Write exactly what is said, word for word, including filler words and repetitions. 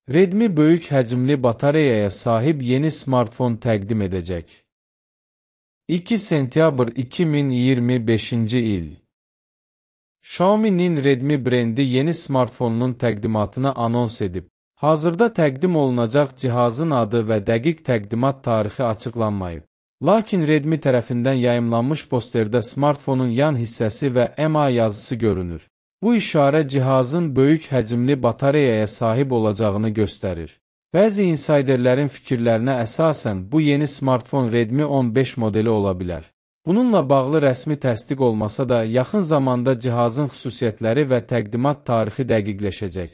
Redmi böyük həcmli batareyaya sahib yeni smartfon təqdim edəcək. iki sentyabr iki min iyirmi beşinci il. Xiaomi'nin Redmi brendi yeni smartfonunun təqdimatını anons edib. Hazırda təqdim olunacaq cihazın adı və dəqiq təqdimat tarixi açıqlanmayıb. Lakin Redmi tərəfindən yayımlanmış posterdə smartfonun yan hissəsi və M A yazısı görünür. Bu işarə cihazın böyük həcmli batareyaya sahib olacağını göstərir. Bəzi insayderlərin fikirlərinə əsasən bu yeni smartfon Redmi on beş modeli ola bilər. Bununla bağlı rəsmi təsdiq olmasa da yaxın zamanda cihazın xüsusiyyətləri və təqdimat tarixi dəqiqləşəcək.